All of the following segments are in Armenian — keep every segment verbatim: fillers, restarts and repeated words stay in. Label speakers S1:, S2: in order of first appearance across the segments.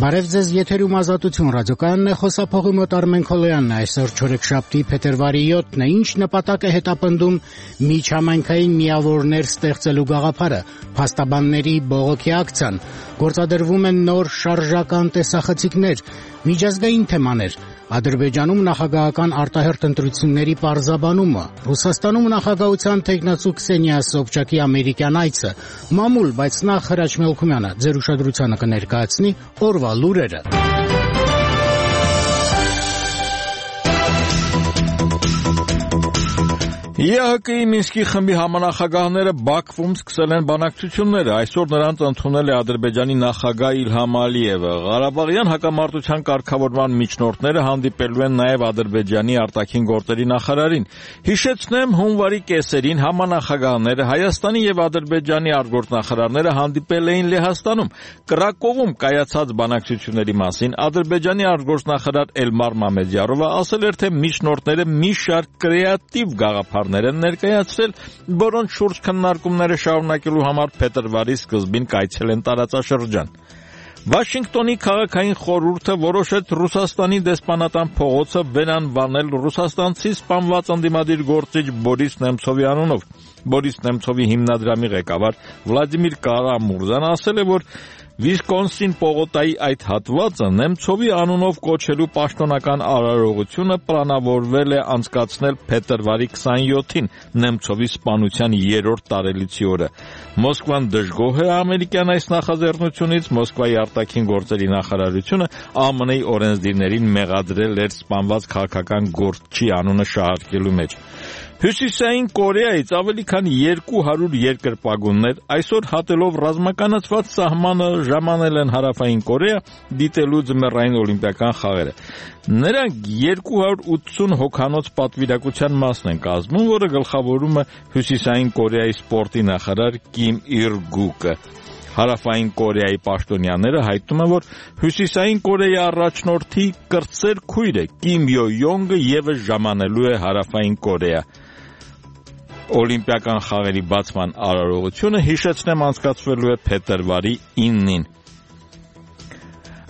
S1: Բարև ձեզ, եթերում Ազատություն ռադիոկայանն է, խոսափողի մոտ Արմեն Քոլոյանն է, այսօր չորեքշաբթի փետրվարի յոթն է, ինչ նպատակ է հետապնդում միջհամայնքային միավորներ ստեղծելու գաղափարը, փաստաբանների բողոքի ակցիան, գործադրվում են նոր շարժական տեսախցիկներ, միջազգային թեմաներ, Ադրբեջանում նախագահական արտահերթ ընտրությունների պարզաբանումը, Ռուսաստանում նախագահության թեկնածու Քսենիա Սոբչակի ամերիկյան այցը, մամուլ, բայց նախ Հրաչ Մելքումյանը ձեր ուշադրությանը կներկայացնի օրվա լուրերը։
S2: ԵԱՀԿ-ի Մինսկի խմբի համանախագահները Բաքվում սկսել են բանակցությունները, այսօր նրանց ընդունել է Ադրբեջանի նախագահ Իլհամ Ալիևը, Ղարաբաղյան հակամարտության կարգավորման միջնորդները հանդիպելու են նաև Ադրբեջանի արտաքին գործերի նախարարին։ Հիշեցնեմ, հունվարի կեսերին համանախագահները Հայաստանի և Ադրբեջանի արտգործնախարարները հանդիպել էին Լեհաստանում, Կրակովում կայացած բանակցությունների մասին Ադրբեջանի արտգործնախարար Էլմար Մամեդյարովը ասել էր, թե միջնորդները մի շարք կրեատիվ գաղափարներ են ներկայացրել, որոնց շուրջ քննարկումները շարունակելու համար փետրվարի սկզբին կայցել են տարածաշրջան։ Վաշինգտոնի քաղաքային խորհուրդը որոշեց Ռուսաստանի դեսպանատան փողոցը վերանվանել ռուսաստանցի սպանված ընդդիմադիր գործիչ Բորիս Նեմցովի անունով։ Բորիս Նեմցովի հիմնադրամի ղեկավար Վլադիմիր Կարամուրզան ասել է, որ Վիսկոնսին պողոտայի այդ հատվածը Նեմցովի անունով կոչելու պաշտոնական արարողությունը պլանավորվել է անցկացնել փետրվարի քսանյոթին Նեմցովի սպանության երրորդ տարելիցի օրը։ Մոսկվան դժգոհ է ամերիկյան այս նախաձեռնությունից, Մոսկվայի արտաքին գործերի նախարարությունը ԱՄՆ-ի օրենսդիրներին մեղադրել էր սպանված քաղաքական գործչի անունը շահարկելու մեջ։ Հյուսիսային Կորեայից ավելի քան երկու հարյուր երկրպագուններ այսօր հատելով ռազմականացված սահմանը ժամանել են Հարավային Կորեա դիտելու ձմեռային օլիմպիական խաղերը։ Նրանք երկու հարյուր ութսուն հոգանոց պատվիրակության մասն են կազմում, որը գլխավորում է Հյուսիսային Կորեայի սպորտի նախարար Կիմ Իր Գուկը։ Հարավային Կորեայի պաշտոնյաները հայտնում են, որ Հյուսիսային Կորեայի առաջնորդի կրտսեր քույրը Կիմ Յո Յոնգը ևս ժամանելու է Հարավային Կորեա։ Օլիմպիական խաղերի բացման արարողությունը հիշեցնեմ անցկացվելու է փետրվարի իննին։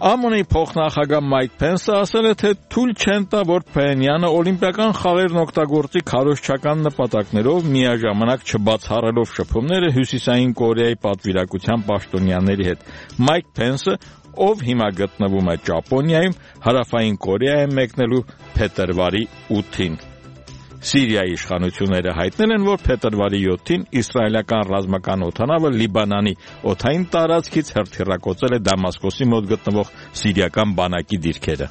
S2: ԱՄՆ-ի փոխնախագահ Մայք Փենսը ասել է, թե թույլ չեն տա, որ Փենյանը օլիմպիական խաղերն օգտագործի քարոզչական նպատակներով, միաժամանակ չբացառելով շփումները Հյուսիսային Կորեայի պատվիրակության պաշտոնյաների հետ։ Մայք Փենսը, ով հիմա գտնվում է Ճապոնիայում, Հարավային Կորեա է մեկնելու փետրվարի ութին։ Սիրիայի իշխանությունները հայտնել են, որ փետրվարի յոթին իսրայելական ռազմական օդանավը Լիբանանի օդային տարածքից հրթիռակոծել է Դամասկոսի մոտ գտնվող սիրիական բանակի դիրքերը։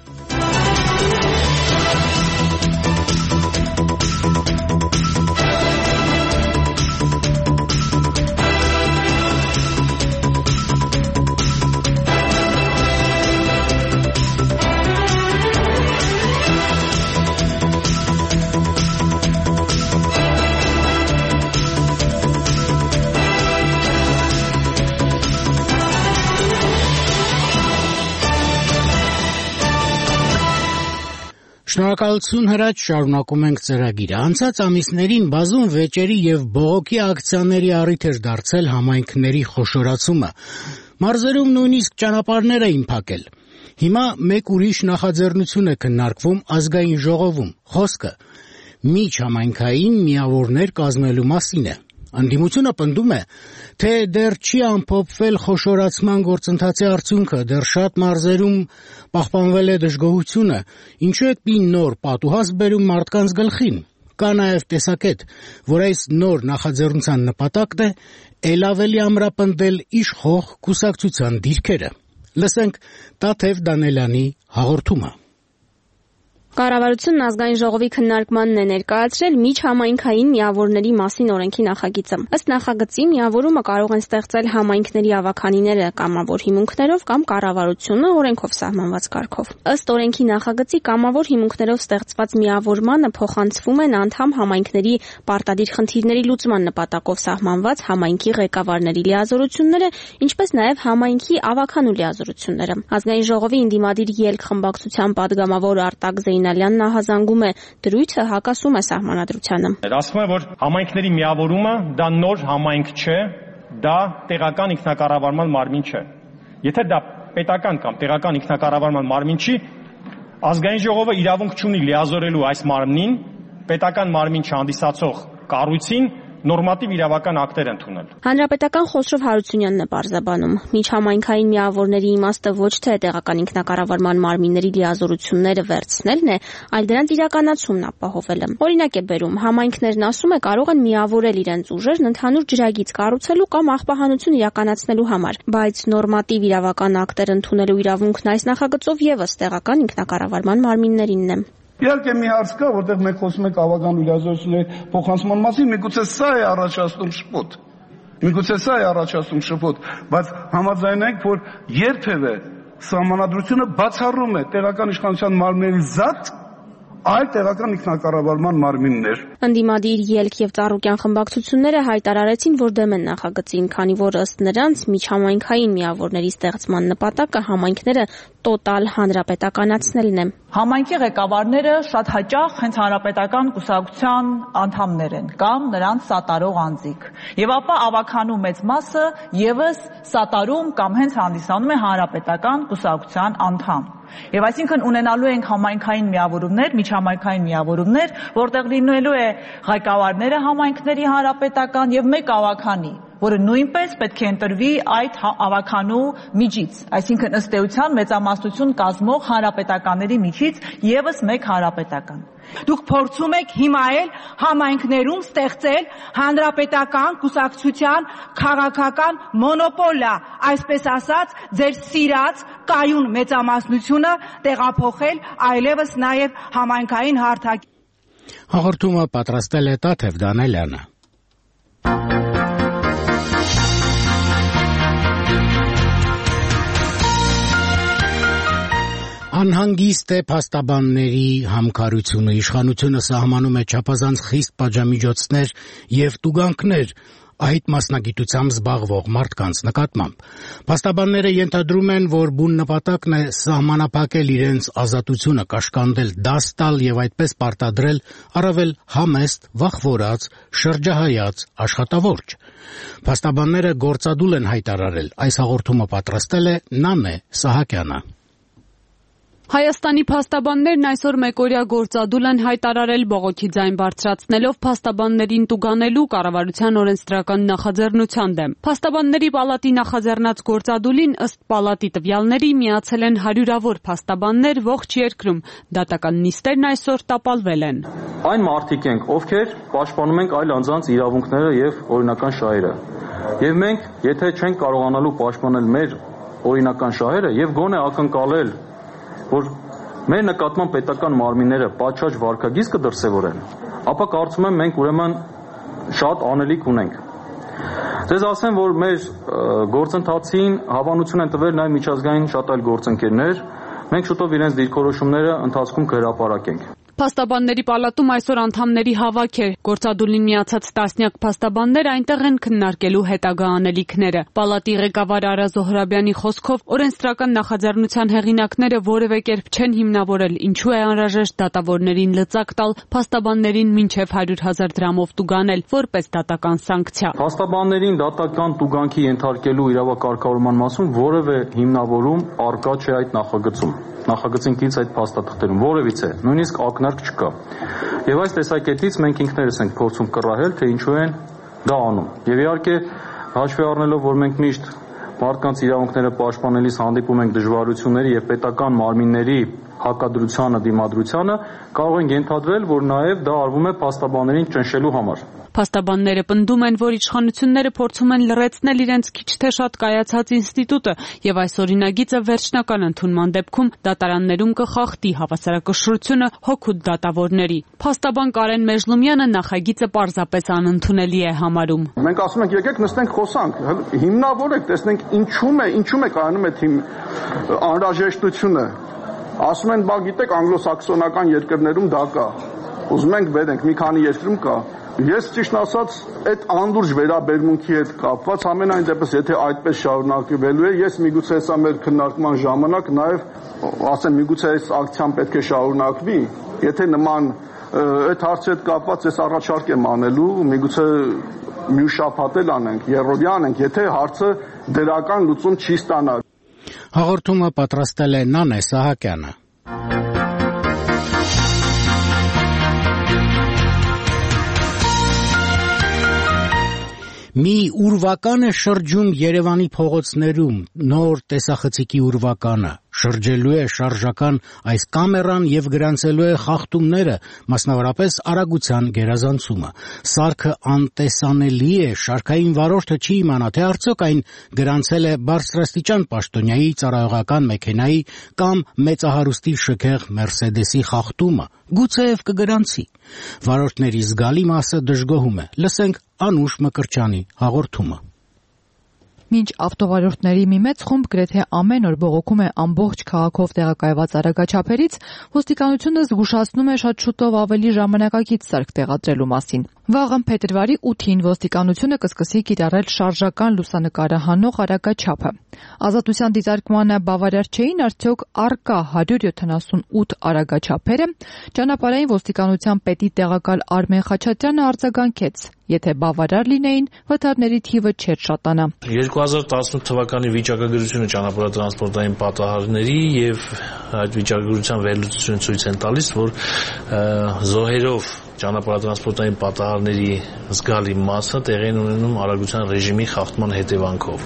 S1: Շնորհակալություն Հրաչ, շարունակում ենք ծրագիրը։ Անցած ամիսներին բազում վեճերի եւ բողոքի ակցիաների առիթ էր դարձել համայնքների խոշորացումը։ Մարզերում նույնիսկ ճանապարհներ էին փակել։ Հիմա մեկ ուրիշ նախաձեռնություն է քննարկվում ազգային ժողովում։ Խոսքը միջհամայնքային միավորներ կազմելու մասին է։ Ընդդիմությունը պնդում է, թե դեռ չի ամփոփվել խոշորացման գործընթացի արդյունքը, դեռ շատ մարզերում պահպանվել է դժգոհությունը, ինչու է մի նոր պատուհաս բերում մարդկանց գլխին։ Կա նաև տեսակետ, որ այս նոր նախաձեռնության նպատակն է ել ավելի ամրապնդել իշխող կուսակցության դիրքերը։ Լսենք Տաթև Դանելյանի հաղորդումը։
S3: Կառավարությունն ազգային ժողովի քննարկմանն է ներկայացրել միջհամայնքային միավորների մասին օրենքի նախագիծը։ Ըստ նախագծի միավորումը կարող են ստեղծել համայնքների ավականիները կամավոր հիմունքներով կամ կառավարությունը օրենքով սահմանված կարգով։ Ըստ օրենքի նախագծի կամավոր հիմունքներով ստեղծված միավորմանը փոխանցվում են անդամ համայնքների պարտադիր խնդիրների լուծման նպատակով սահմանված համայնքի ղեկավարների լիազորությունները, ինչպես նաև համայնքի ավականու լիազորությունները։ Ազգային ժողովի ինդիմադիր ելք խմբակցության падգամավոր Արտակ Զեյնալյանն ահազանգում է դրույթը հակասում է սահմանադրությանը։
S4: Ասվում է, որ համայնքների միավորումը դա նոր համայնք չէ, դա տեղական ինքնակառավարման մարմին չէ։ Եթե դա պետական կամ տեղական ինքնակառավարման մարմին չի, ազգային ժողովը իրավունք չունի լիազորելու այս մարմնին պետական մարմին չհանդիսացող կառույցին նորմատիվ իրավական ակտեր ընդունել։
S3: Հանրապետական Խոսրով Հարությունյանն է պարզաբանում. միջհամայնքային միավորների իմաստը ոչ թե տեղական ինքնակառավարման մարմինների լիազորությունները վերցնելն է, այլ դրանց իրականացումն ապահովելը։ Օրինակ է բերում, համայնքներն ասում է կարող են միավորել իրենց ուժերն ընդհանուր ջրագիծ կառուցելու կամ աղբահանություն իրականացնելու համար, բայց նորմատիվ իրավական ակտեր ընդունելու իրավունքն այս նախագծով եւս տեղական ինքնակառավարման մարմիններինն է։
S5: Իհարկե մի հարց կա, որտեղ մենք խոսում ենք ավագան լիազորությունների փոխանցման մասին, միգուցե սա է առաջացնում շփոթ։ Միգուցե սա է առաջացնում շփոթ, բայց համաձայնենք, որ երբևէ սահմանադրությունը բացառում է տեղական իշխանության մարմինների զատ այլ տեղական ինքնակառավարման մարմիններ։
S3: Ընդդիմադիր ելք եւ ծառուկյան խմբակցությունները հայտարարեցին, որ դեմ են նախագծին, քանի որ ըստ նրանց միջհամայնքային միավորների ստեղծման նպատակը համայնքները տոտալ հանրապետականացնելն է։
S6: Համայնքի ղեկավարները շատ հաճախ հենց հանրապետական կուսակցության անդամներ են կամ նրանց սատարող անձիկ։ Եվ ապա ավագանու մեծ մասը եւս սատարում կամ հենց հանդիսանում է հանրապետական կուսակցության անդամ։ Եվ այսինքն ունենալու ենք համայնքային միավորումներ, միջհամայնքային միավորումներ, որտեղ լինելու է ղեկավարները համայնքների հանրապետական եւ մեկ ավագանի, որը նույնպես պետք է ընտրվի այդ ավագանու միջից, այսինքն ըստ էության մեծամասնություն կազմող հանրապետականների միջից եւս մեկ հանրապետական։
S7: Դուք փորձում եք հիմա էլ համայնքներում ստեղծել հանրապետական կուսակցության քաղաքական մոնոպոլիա, այսպես ասած, ձեր սիրած կայուն մեծամասնությունը տեղափոխել այլևս նաև համայնքային հարթակի։
S1: Հաղորդումը պատրաստել է Տաթև Դանելյանը։ Անհանգիստ է փաստաբանների համքարությունը, իշխանությունը սահմանում է չափազանց խիստ պատժամիջոցներ եւ տուգանքներ այդ մասնագիտությամբ զբաղվող մարդկանց նկատմամբ։ Փաստաբանները ենթադրում են, որ բուն նպատակն է սահմանափակել իրենց ազատությունը, կաշկանդել, դաս տալ եւ այդպես պարտադրել առավել համեստ, վախվորած, շրջահայաց աշխատավորջ։ Փաստաբանները գործադուլ են հայտարարել, այս հաղորդումը պատրաստել է Նանե Սահակյանը։
S8: Հայաստանի փաստաբաններն այսօր մեկօրյա գործադուլ են հայտարարել բողոքի ձայն բարձրացնելով փաստաբաններին տուգանելու կառավարության օրենսդրական նախաձեռնության դեմ։ Փաստաբանների պալատի նախաձեռնած գործադուլին ըստ պալատի տվյալների միացել են հարյուրավոր փաստաբաններ ողջ երկրում։ Դատական նիստերն այսօր տապալվել են։
S9: Այն մարդիկ ենք, ովքեր պաշտպանում ենք այլ անձանց իրավունքները եւ օրինական շահերը։ Եվ մենք, եթե չենք կարողանալու պաշտպանել մեր օրինական շահերը եւ գոնե ակնկալել որ մեր նկատմամբ պետական մարմինները պատշաճ վարքագիծ կդրսևորեն, ապա կարծում եմ մենք ուրեմն շատ անելիք ունենք։ Ձեզ ասեմ, որ մեր գործընթացին հավանություն են տվել նաև միջազգային շատ այլ գործընկերներ, մենք շուտով իրենց դիրքորոշումները ընթացքում կհրապարակենք։
S8: Փաստաբանների պալատում այսօր անդամների հավաք էր։ Գործադուլին միացած տասնյակ փաստաբաններ այնտեղ են քննարկելու հետագա անելիքները։ Պալատի ղեկավար Արա Զոհրաբյանի խոսքով օրենսդրական նախաձեռնության հեղինակները որևէ կերպ չեն հիմնավորել, ինչու է անհրաժեշտ դատավորներին լծակ տալ, փաստաբաններին մինչև հարյուր հազար դրամով տուգանել, որպես դատական սանկցիա։
S9: Փաստաբաններին դատական տուգանքի ենթարկելու իրավակարգավորման մասում որևէ հիմնավորում առկա չէ այդ նախագծում։ Նախագծին կից այդ փաստաթղթերում որևիցե, նույնիսկ ակնարկ չկա։ Եվ այս տեսակետից մենք ինքներս ենք փորձում կռահել, թե ինչու են դա անում։ Եվ իհարկե հաշվի առնելով, որ մենք միշտ մարդկանց իրավունքները պաշտպանելիս հանդիպում ենք դժվարությունների եւ պետական մարմինների հակադրությանը, դիմադրությանը, կարող ենք ենթադրել, որ նաեւ դա արվում է փաստաբաններին ճնշելու համար։
S8: Փաստաբանները պնդում են, որ իշխանությունները փորձում են լրացնել իրենց քիչ թե շատ կայացած ինստիտուտը եւ այս օրինագիծը վերջնական ընդունման դեպքում դատարաններում կխախտի հավասարակշռությունը հոգուտ դատավորների։ Փաստաբան Կարեն Մեժլումյանը նախագիծը պարզապես անընդունելի է համարում։
S5: Մենք ասում ենք եկեք նստենք խոսանք, հիմնավորեք, տեսնենք ինչու՞մ է, ինչու՞մ է կայանում այդ անհրաժեշտությունը։ Ասում են, բա գիտեք, անգլոսաքսոնական երկրներում դա կա։ Ուզում ենք վերենք, մի քանի երկրում կա։ Ես ճիշտ ասած այդ անդուրջ վերաբերմունքի հետ կապված ամենայն դեպս եթե այդպես շարունակվելու է, ես միգուցե հեսա մեր քննարկման ժամանակ նաև ասեմ միգուցե այս ակցիան պետք է շարունակվի, եթե նման այդ հարցի հետ կապված ես առաջարկ եմ անելու, միգուցե մյուս շաբաթ էլ անենք, երրորդյա անենք, եթե հարցը դրական լուծում չի ստանա։
S1: Հաղորդումը պատրաստել է Նանե Սահակյանը։ Մի ուրվական է շրջում Երևանի փողոցներում, նոր տեսախցիկի ուրվականը, շրջելու է շարժական այս կամերան եւ գրանցելու է խախտումները, մասնավորապես արագության գերազանցումը։ Սարքը անտեսանելի է, շարքային վարորդը չի իմանա, թե արդյոք այն գրանցել է բարձրաստիճան պաշտոնյայի, ծառայողական մեքենայի կամ մեծահարուստի շքեղ Մերսեդեսի խախտումը։ Գուցեև կգրանցի։ Վարորդների զգալի մասը դժգոհում է։ Լսենք Անուշ Մկրտչյանի հաղորդումը։
S10: Մինչ ավտովարորդների մի մեծ խումբ գրեթե ամեն օր բողոքում է ամբողջ քաղաքով տեղակայված արագաչափերից, ոստիկանությունը զգուշացնում է շատ շուտով ավելի ժամանակակից սարք տեղադրելու մասին։ Վաղը փետրվարի ութին ոստիկանությունը կսկսի կիրառել շարժական լուսանկարը հանող արագաչափը։ Ազատության դիտարկմանը բավարար չէին արդյոք առկա հարյուր յոթանասունութ արագաչափերը, ճանապարհային ոստիկանության պետի տեղակալ Արմեն Խաչատրյանը արձագանքեց. Եթե բավարար լինեին, վթարների թիվը չէր շատանա։
S11: երկու հազար տասնութ թվականի վիճակագրությունը ճանապարհատրանսպորտային պատահարների եւ այդ վիճակագրության վերլուծությունը ցույց են տալիս, որ զոհերով ճանապարհատրանսպորտային պատահարների զգալի մասը տեղի են ունենում արագության ռեժիմի խախտման հետևանքով։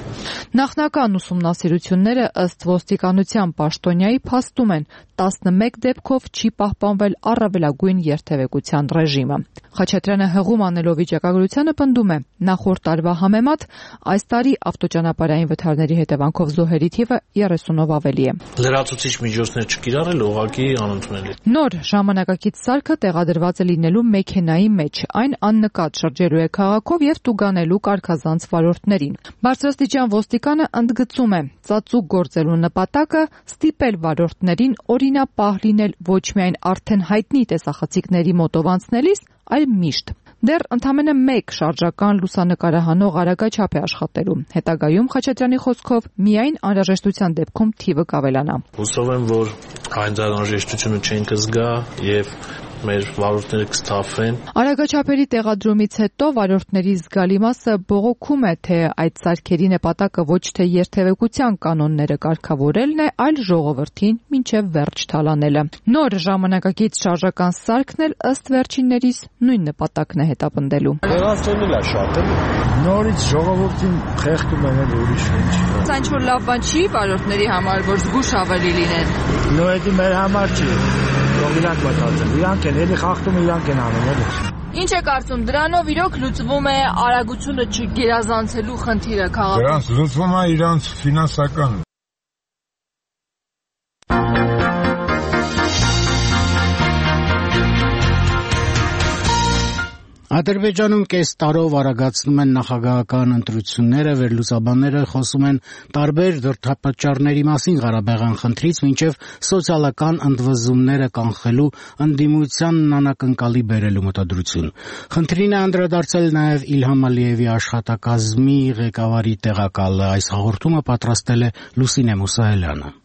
S10: Նախնական ուսումնասիրությունները ըստ ոստիկանության պաշտոնյայի փաստում են տասնմեկ դեպքով չի պահպանվել առավելագույն երթևեկության ռեժիմը։ Խաչատրյանը հղում անելով վիճակագրությանը պնդում է, նախորդ տարվա համեմատ այս տարի ավտոճանապարհային վթարների հետևանքով զոհերի թիվը երեսունով ավելի է։
S11: Լրացուցիչ միջոցներ չկիրառել ուղղակի անընդունելի։
S10: Նոր ժամանակակից սարքը տեղադրված է լինելու մեքենայի մեջ, այն աննկատ շրջելու է քաղաքով եւ տուգանելու կարգազանց վարորդներին։ Բարձրաստիճան ոստիկանը ընդգծում է, ծածուկ գործելու նպատակը ստիպել վարորդներին օրինապահ լինել ոչ միայն արդեն հայտնի տեսախցիկների մոտով անցնելիս, այլ միշտ։ Դեռ ընդամենը մեկ շարժական լուսանկարահանող արագաչափ է աշխատելու։ Հետագայում Խաչատրյանի խոսքով միայն անհրաժեշտության դեպքում թիվը կավելանա։
S11: Հուսով եմ, որ այն անհրաժեշտությունը չեն կզգա եւ մեր վարորդները կստափվեն։
S10: Արագաչափերի տեղադրումից հետո վարորդների զգալի մասը բողոքում է, թե այդ սարքերի նպատակը ոչ թե երթևեկության կանոնները կարգավորելն է, այլ ժողովրդին մինչև վերջ թալանելը։ Նոր ժամանակակից շարժական սարքն էլ ըստ վերջիններիս նույն նպատակն է հետապնդելու։
S12: Վերացնել է շատ էլի։ Նորից ժողովրդին խեղդում են էլ ուրիշ ինչ։
S10: Սա ինչ որ լավ բան չի վարորդների համար, որ զգուշ ավելի լինեն։
S12: Նո էդի մեր համար չի։ Որ իրանք մտածեն, իրանք են էլի խախտումը իրանք են անում էլի։
S10: Ինչ է կարծում, դրանով իրոք լուծվում է արագությունը չգերազանցելու խնդիրը քաղաքում։
S13: Դրանց լուծվում է իրանց ֆինանսական
S1: Ադրբեջանում կես տարով արագացնում են նախագահական ընտրությունները, վերլուծաբանները խոսում են տարբեր դրդապատճառների մասին Ղարաբաղյան խնդրից մինչև սոցիալական ընդվզումները կանխելու ընդդիմությանն անակնկալի բերելու մտադրություն։ Խնդրին է անդրադարձել նաև Իլհամ Ալիևի աշխատակազմի ղեկավարի տեղակալը։ Այս հաղորդումը պատրաստել է Լուսինե Մուսայելյանը։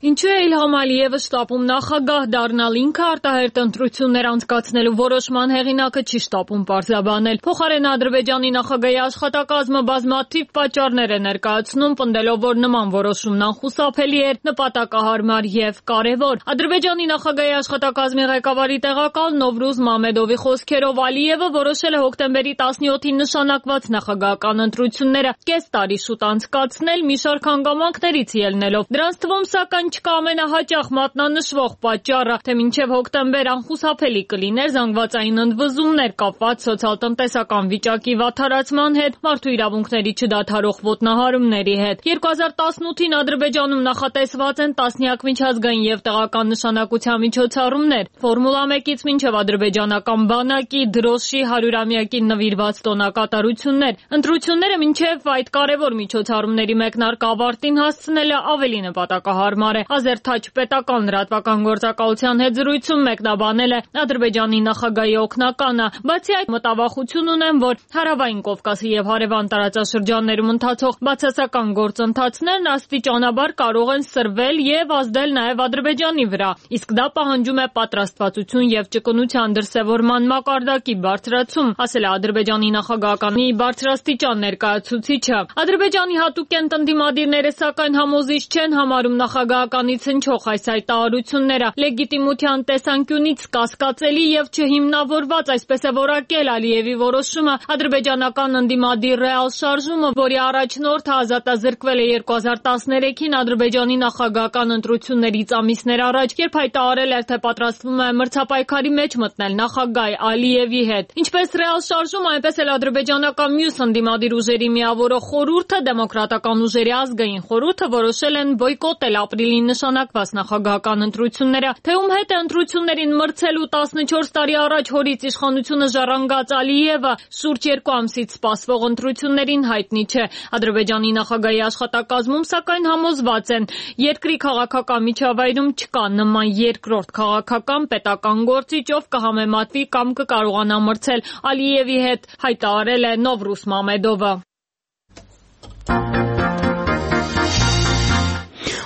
S14: Ինչու է Իլհամ Ալիևը շտապում նախագահ դառնալ, ինքը արտահերտ ընտրություններ անցկացնելու որոշման հեղինակը չի շտապում պարզաբանել։ Փոխարենը Ադրբեջանի նախագահի աշխատակազմը բազմաթիվ պատճառներ է ներկայացնում, պնդելով, որ նման որոշումն անխուսափելի էր, նպատակահարմար եւ կարեւոր։ Ադրբեջանի նախագահի աշխատակազմի ղեկավարի տեղակալ Նովրուզ Մամեդովի խոսքերով Ալիևը որոշել է հոկտեմբերի տասնյոթին նշանակված նախագահական ընտրությունները կես տարի շուտ անցկացնել մի շարք հանգամանքներից ելնելով։ Դրանց թվում սակայն չկա ամենահաճախ մատնանշվող պատճառը, թե մինչև հոկտեմբեր անխուսափելի կլիներ զանգվածային ընդվզումներ կապված սոցիալ-տնտեսական վիճակի վատթարացման հետ, մարդու իրավունքների չդադարող ոտնահարումների հետ։ երկու հազար տասնութին Ադրբեջանում նախատեսված են տասնյակ միջազգային եւ տեղական նշանակության միջոցառումներ։ Ֆորմուլա մեկից մինչև ադրբեջանական բանակի դրոշի հարյուրամյակին նվիրված տոնակատարություններ։ Ընտրությունները մինչև այդ կարևոր միջոցառումների մեկնարկը ավարտին հասցնելը ավելի նպատակահարմար Նարե Ազերթաչ պետական լրատվական գործակալության հետ զրույցում մեկնաբանել է Ադրբեջանի նախագահի օգնականը, բացի այդ մտավախություն ունեն, որ Հարավային Կովկասի եւ հարևան տարածաշրջաններում ընթացող բացասական գործընթացներն աստիճանաբար կարող են սրվել եւ ազդել նաեւ Ադրբեջանի վրա, իսկ դա պահանջում է պատրաստվածություն եւ ճկունության դրսեւորման մակարդակի բարձրացում, ասել է Ադրբեջանի նախագահականի բարձրաստիճան ներկայացուցիչը։ Ադրբեջանի հատուկենտ ընդդիմադիրները սակայն համոզիչ չեն համարում նախագահականից հնչող այս հայտարարությունները լեգիտիմության տեսանկյունից կասկածելի եւ չհիմնավորված, այսպես է որակել Ալիևի որոշումը ադրբեջանական ընդդիմադիր ռեալ շարժումը, որի առաջնորդը ազատազրկվել է երկու հազար տասներեքին Ադրբեջանի նախագահական ընտրություններից ամիսներ առաջ, երբ հայտարարել էր, թե պատրաստվում է մրցապայքարի մեջ մտնել նախագահ Ալիևի հետ։ Ինչպես ռեալ շարժումը, այնպես էլ ադրբեջանական մյուս ընդդիմադիր ուժերի միավորող խորհուրդը, դեմոկրատական ուժերի ազգային խորհուրդը որոշել են բոյկոտել ապրիլին նշանակված նախագահական ընտրությունները, թե ում հետ է ընտրություններին մրցելու տասնչորս տարի առաջ հորից իշխանությունը ժառանգած Ալիևը շուրջ երկու ամսից սպասվող ընտրություններին հայտնի չէ։ Ադրբեջանի նախագահի աշխատակազմում սակայն համոզված են, երկրի քաղաքական միջավայրում չկա նման երկրորդ քաղաքական պետական գործիչ, ով կհամեմատվի կամ կկարողանա մրցել Ալիևի հետ, հայտարարել է Նովրուզ Մամեդովը։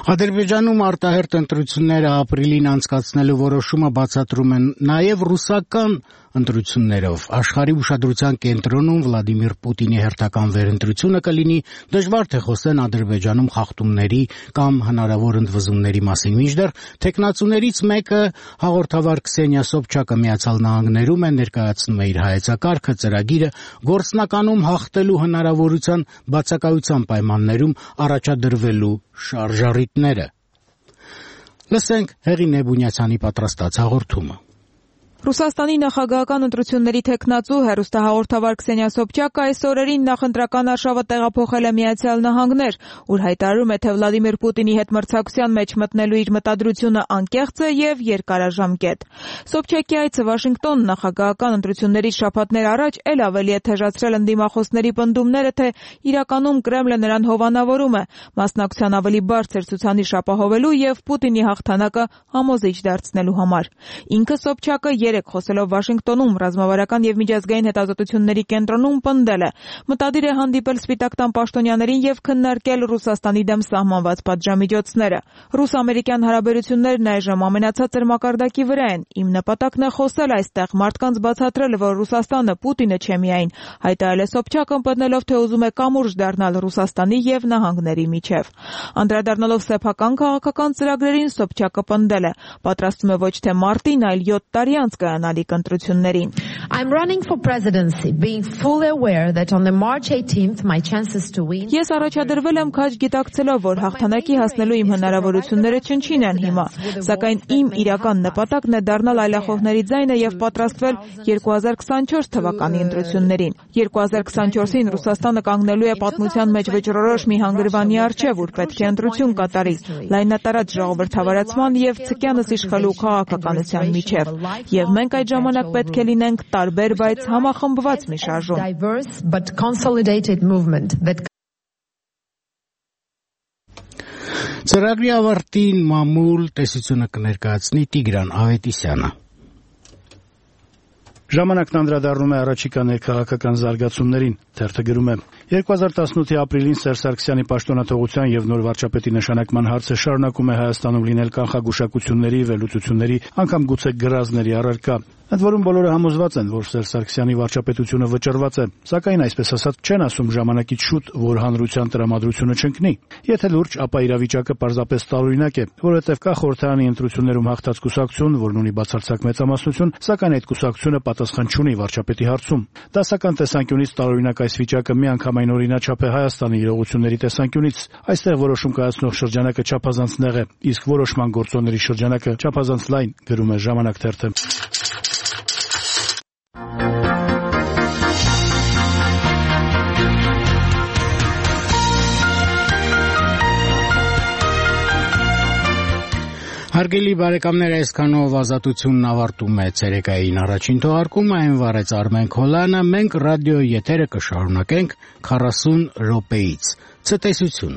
S1: Ադրբեջանում արտահերթ ընտրությունները ապրիլին անցկացնելու որոշումը բացատրում են նաև ռուսական ընտրություններով։ Աշխարհի ուշադրության կենտրոնում Վլադիմիր Պուտինի հերթական վերընտրությունը կլինի, դժվար թե խոսեն Ադրբեջանում խախտումների կամ հնարավոր ընդվզումների մասին, մինչդեռ թեկնածուներից մեկը հաղորդավար Քսենիա Սոբչակը Միացյալ Նահանգներում է ներկայացնում է իր հայեցակարգը, ծրագիրը գործնականում հաղթելու հնարավորության բացակայության պայմաններում առաջադրվելու շարժառիթները։ Լսենք Հեղին Նեբունյացյանի պատրաստած հաղորդումը։
S15: Ռուսաստանի նախագահական ընտրությունների թեկնածու հեռուստահաղորդավար Քսենիա Սոբչակը այս օրերին նախընտրական արշավը տեղափոխել է Միացյալ Նահանգներ, ուր հայտարարում է, թե Վլադիմիր Պուտինի հետ մրցակցության մեջ մտնելու իր մտադրությունը անկեղծ է եւ երկարաժամկետ։ Սոբչակի այցը Վաշինգտոն նախագահական ընտրությունների շաբաթներ առաջ էլ ավելի է թեժացրել ընդդիմախոսների պնդումները, թե իրականում Կրեմլը նրան հովանավորում է մասնակցության ավելի բարձր ցուցանիշ ապահովելու եւ Պուտինի հաղթանակը համոզիչ դարձնելու համար։ Ինքը Սոբչակը երեք խոսելով Վաշինգտոնում ռազմավարական եւ միջազգային հետազոտությունների կենտրոնում պնդել է. մտադիր է հանդիպել Սպիտակ տան պաշտոնյաներին եւ քննարկել Ռուսաստանի դեմ սահմանված պատժամիջոցները։ Ռուս-ամերիկյան հարաբերություններն այժմ ամենացածր մակարդակի վրա են։ Իմ նպատակն է խոսել այստեղ, մարդկանց բացատրել, որ Ռուսաստանը Պուտինը չէ միայն, հայտարարել է Սոբչակը, պնդելով, թե ուզում է կամուրջ դառնալ Ռուսաստանի եւ նահանգների միջև։ Անդրադառնալով սեփական քաղաքական ծրագրերին, Սոբչակը պնդել է. պատրաստվում է ոչ թե մարտին, այլ յոթ տարի անց կայանալիք ընտրություններին։
S16: I'm running for presidency, being fully aware that on the March eighteenth my chances to win.
S15: Ես առաջադրվել եմ քաջ գիտակցելով, որ հաղթանակի հասնելու իմ հնարավորությունները չնչին են հիմա, սակայն իմ իրական նպատակն է դառնալ այլախոհների ձայնը եւ պատրաստվել երկու հազար քսանչորս թվականի ընտրություններին։ երկու հազար քսանչորսին Ռուսաստանը կանգնելու է պատմության մեջ վճռորոշ մի հանգրվանի առջև, ուր պետք է ընտրություն կատարի, լայնատարած ժողովրդավարացման եւ ցկյանս իշխելու քաղաքականության միջև։ Եվ մենք այդ ժամանակ պետք է լինենք տարբեր, բայց համախմբված մի շարժում։
S1: Ծրագրի ավարտին մամուլ տեսությունը կներկայացնի Տիգրան Ավետիսյանը։
S17: Ժամանակն անդրադառնում է առաջիկա ներքաղաքական զարգացումներին, թերթը գրում է. երկու հազար տասնութի ապրիլին Սերժ Սարգսյանի պաշտոնաթողության եւ նոր վարչապետի նշանակման հարցը շարունակում է Հայաստանում լինել կանխագուշակությունների, վերլուծությունների, անգամ գուցե գրազների առարկա։ Ընդ որում բոլորը համոզված են, որ Սերժ Սարգսյանի վարչապետությունը վճռված է, սակայն այսպես ասած չեն ասում ժամանակից շուտ, որ հանրության տրամադրությունը չընկնի։ Եթե լուրջ, ապա իրավիճակը պարզապես տարօրինակ է, որովհետև կա խորհրդարանի ընտրություններում հաղթած կուսակցություն, որն ունի բացարձակ մեծամասնություն, սակայն այդ կուսակցությունը պատասխան չունի վարչապետի հարցում։ Դասական տեսանկյունից տարօրինակ այս վիճակը միանգամայն օրինաչափ է Հայաստանի իրողությունների տեսանկյունից։ Այստեղ որոշում կայացնող շրջանակը չափազանց նեղ է, իսկ որոշման գործոնների շրջանակը չափազանց լայն, գրում է Ժամանակ թերթը։
S1: Հարգելի բարեկամներ, այսքանով Ազատությունն ավարտում է ցերեկային առաջին թողարկումը, այն վարեց Արմեն Քոլյանը, մենք ռադիո եթերը կշարունակենք քառասուն րոպեից։ Ցտեսություն։